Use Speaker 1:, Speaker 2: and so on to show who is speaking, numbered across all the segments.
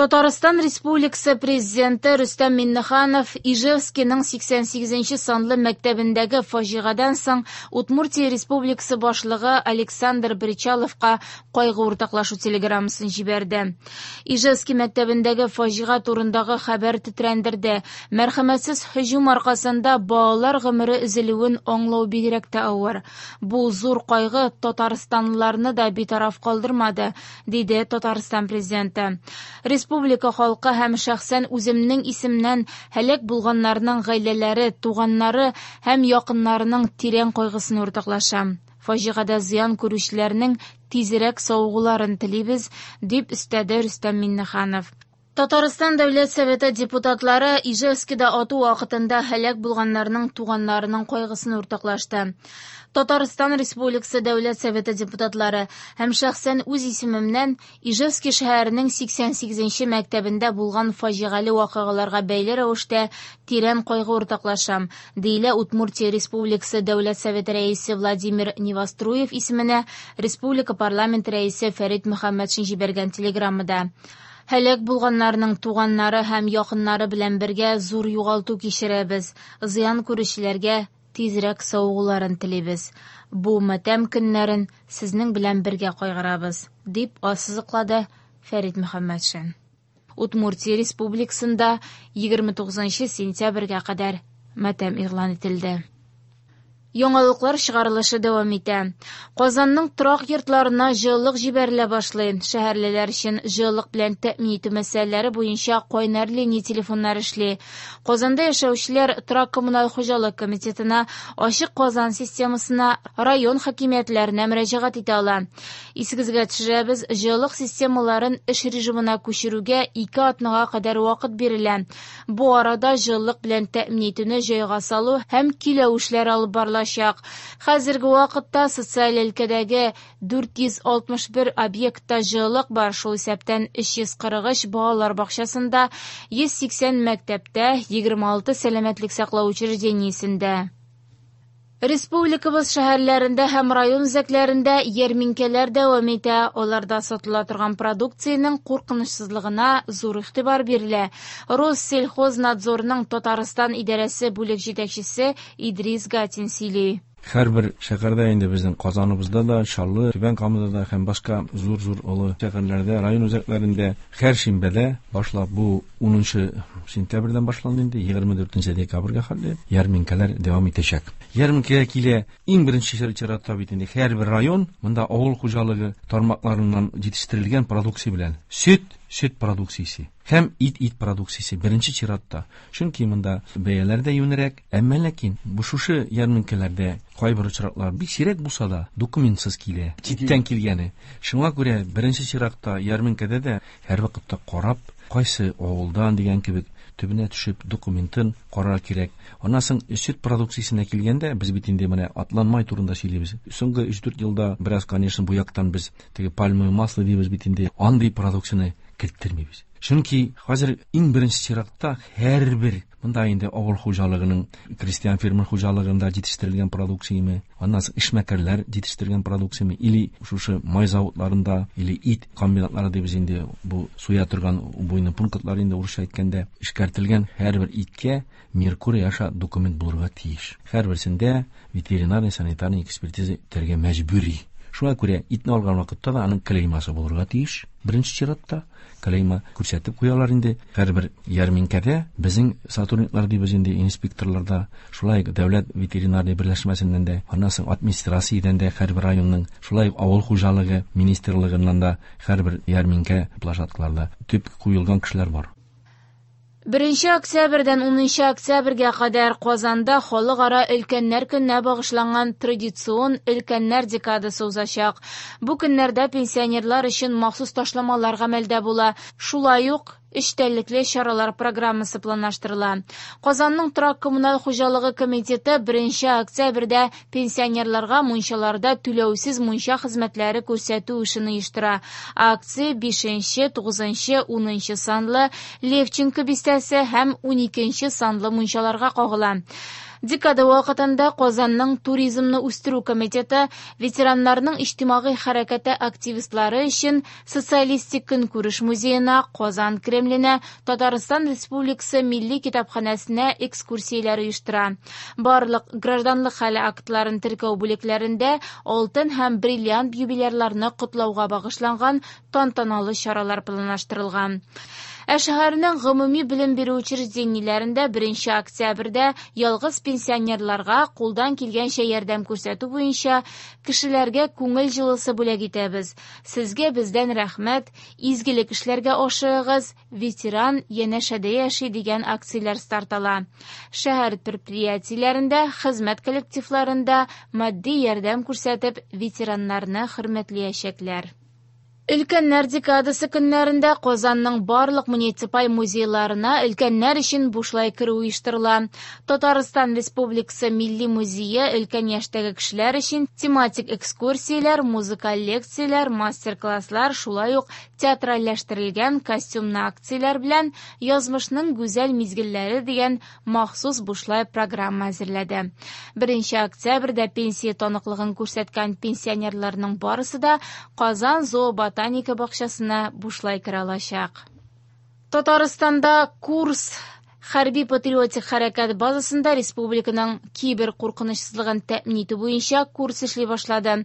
Speaker 1: Татарстан Республикасы Президенты Рөстәм Миңнеханов Ижевскиның 88 нче санлы мәктәбендәге фаҗигадән соң Удмуртия Республикасы башлыгы Александр Бречаловка кайгы уртаклашу телеграммасын җибәрде. Ижевский мәктәбендәге фаҗига турындагы хәбәр тетрәндерде. Мәрхәмәтсез һөҗүм аркасында балалар гомере өзелүен аңлау бигрәк тә авыр. Бу зур кайгы татарстанлыларны да битараф калдырмады, диде Татарстан Президенты. Республика халкы һәм шәхсән үземнең исемнән һәлак булганнарның гаиләләре, туганнары һәм якыннарының тирән кайгысын уртаклашам. Фаҗигадә зыян күрүчеләрнең тизрәк савыгуларын телибез, дип өстәде Рөстәм Миңнеханов. Татарстан Дәүләт Советы депутатлары Ижевскида ату вакытында һәлак булганнарның туганнарының кайгысын уртаклашты. Татарстан Республикасы Дәүләт Советы депутатлары һәм шәхсән үз исемемнән Ижевский шәһәренең 88 нче мәктәбендә булган фаҗигале вакыйгаларга бәйле рәвештә тирән кайгы уртаклашам, диелә Удмуртия Республикасы Дәүләт Советы Рәисе Владимир Невоструев исеменә республика парламенты Рәисе Фәрит Мөхәммәтшин җибәргән телеграммада. Һәлак булганнарның туганнары һәм якыннары белән бергә зур югалту кичерәбез. Зыян күрүчеләргә тизрәк савыгуларын телибез. Бу матәм көннәрен сезнең белән бергә кайгырабыз, дип ассызыклады Фәрит Мөхәммәтшин. Удмуртия Республикасында 29 сентябрьгә кадәр матәм игълан ителде. Яңалыклар чыгарылышы дәвам итә. Казанның торак йортларына җылылык җибәрелә башлый. Шәһәрлеләр өчен җылылык белән тәэмин итү мәсьәләләре буенча кайнар линия телефоннары эшли. Казанда яшәүчеләр торак-коммуналь хуҗалык комитетына, Ачык Казан системасына, район хакимиятләренә мөрәҗәгать итә ала. Исегезгә төшерәбез, җылылык системаларын эш режимына күчерүгә ике атнага кадәр вакыт бирелә. Бу арада җылылык белән тәэмин итүне җайга салу һәм көйләү эшләре алып барылачак. Хәзерге вакытта социаль өлкәдәге 461 объектта җылылык бар, шул исәптән 343 балалар бакчасында, 180 мәктәптә, 26 сәламәтлек саклау учреждениесендә. Республикабыз шәһәрләрендә һәм район үзәкләрендә ярминкәләр дәвам итә. Аларда сатыла торган продукциянең куркынычсызлыгына зур игътибар бирелә. Россельхознадзорның Татарстан идарәсе бүлек җитәкчесе Идрис Гатин сөйли.
Speaker 2: Һәрбер шәһәрдә инде безнең Казаныбызда да, Чаллы, Түбән Камада да һәм башка зур-зур олы шәһәрләрдә, район үзәкләрендә һәр шимбәдә башлап бу унынчы сентябрьдән башланды инде, 24 декабрьгә хәтле ярминкәләр дәвам итәчәк. Ярминкәгә килә иң беренче чиратта бит инде һәрбер район монда авыл хуҗалыгы тармакларыннан җитештерелгән продукция белән. Сөт, сөт продукциясе һәм ит, ит продукциясе беренче чиратта. Чөнки монда бәяләр дә юнерәк, әмма ләкин бу шушы ярминкәләрдә кайбер очраклар бик сирәк булса да документсыз килә, читтән килгәне. Шуңа күрә беренче чиратта ярминкәдә дә һәрвакытта карап, кайсы авылдан дигән кебек төбенә төшеп документын карар кирәк. Аннан соң сөт продукциясенә килгәндә, без бит инде менә атланмай турында сөйлибез. Соңгы 3-4 елда бераз, конечно, бу яктан без теге пальмовое масло дибез бит инде, андый продукцияне керттермибез. Чөнки хәзер иң беренче чиратта һәрбер монда инде авыл хуҗалыгының крестьян фермер хуҗалыгында җитештерелгән продукцияме, аннан соң эшмәкәрләр җитештергән продукцияме, или шушы май заводларында, или ит комбинатлары дибез инде, бу суя торган убойный пунктлар инде урысча әйткәндә, эшкәртелгән һәрбер иткә Меркурий аша документ булырга тиеш. Һәрберсендә ветеринарный санитарный экспертиза үтәргә мәҗбүри. Шуңа күрә итне алган вакытта да аның клеймасы булырга тиеш. Беренче чиратта клейма күрсәтеп куялар инде. Һәрбер ярминкәдә безнең сотрудниклар дибез инде, инспекторлар да, шулай ук дәүләт ветеринарный берләшмәсеннән дә, аннан соң администрациядән дә һәрбер районның, шулай ук авыл хуҗалыгы министрлыгыннан да һәрбер ярминкә площадкаларда төп куелган кешеләр бар.
Speaker 1: Беренче октябрьдән унынчы октябрьгә кадәр Казанда Халыкара өлкәннәр көненә багышланган традицион Өлкәннәр декадасы узачак. Бу көннәрдә пенсионерлар өчен махсус ташламалар гамәлдә була. Шулай ук эчтәлекле чаралар программасы планлаштырыла. Казанның торак-коммуналь хуҗалыгы комитеты беренче октябрьдә пенсионерларга мунчаларда түләүсез мунча хезмәтләре күрсәтү эшен оештыра. Акция бишенче, тугызынчы, унынчы санлы Левченко бистәсе һәм уникенче санлы мунчаларга кагыла. Декада вакытында Казанның туризмны үстерү комитеты ветераннарның иҗтимагый хәрәкәте активистлары өчен Социалистик көнкүреш музеена, Казан Кремленә, Татарстан Республикасы Милли китапханәсенә экскурсияләр оештыра. Барлык гражданлык хәле актларын теркәү бүлекләрендә алтын һәм бриллиант юбилярларны котлауга багышланган тантаналы чаралар планлаштырылган. Ә шәһәрнең гомуми белем бирү учреждениеләрендә 1 октябрьдә ялгыз пенсионерларга кулдан килгәнчә ярдәм күрсәтү буенча кешеләргә күңел җылысы бүләк итәбез. Сезгә бездән рәхмәт, изгелек эшләргә ашыгыгыз, ветеран янәшәдә яши дигән акцияләр старт ала. Шәһәр предприятиеләрендә, хезмәт коллективларында матди ярдәм күрсәтеп, ветераннарны хөрмәтләячәкләр. Өлкәннәр декадасы көннәрендә Казанның барлык муниципаль музейларына өлкәннәр өчен бушлай керү оештырыла. Татарстан Республикасы Милли музее өлкән яшьтәге кешеләр өчен тематик экскурсияләр, музыкаль лекцияләр, мастер-класслар, шулай ук театральләштерелгән костюмны акцияләр белән Язмышның гүзәл мизгелләре дигән махсус бушлай программа әзерләде. 1 октябрьдә пенсия таныклыгын күрсәткән пенсионерларның барысы да Казан зооботаника бакчасына бушлай керә алачак. Татарстанда курс хәрби-патриотик хәрәкәт базасында республиканың кибер куркынычсызлыгын тәэмин итү буенча курс эшли башлады.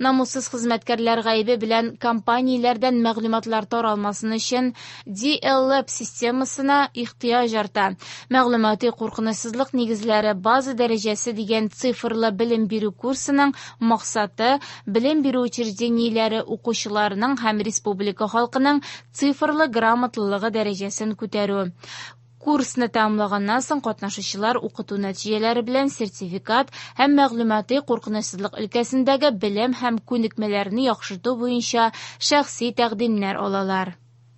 Speaker 1: Намуссыз хезмәткәрләр гаебе белән компанияләрдән мәгълүматлар таралмасын өчен DLAB системасына ихтыяҗ арта. Мәгълүмати куркынычсызлык нигезләре база дәрәҗәсе дигән цифрлы белем бирү курсының максаты белем бирү учреждениеләре укучыларының һәм республика халкының цифрлы грамотлылыгы дәрәҗәсен күтәрү. Курсны тәмамлаганнан соң катнашучылар укыту нәтиҗәләре белән сертификат һәм мәгълүмати куркынычсызлык өлкәсендәге белем һәм күнекмәләрне яхшырту буенча шәхси тәкъдимнәр алалар.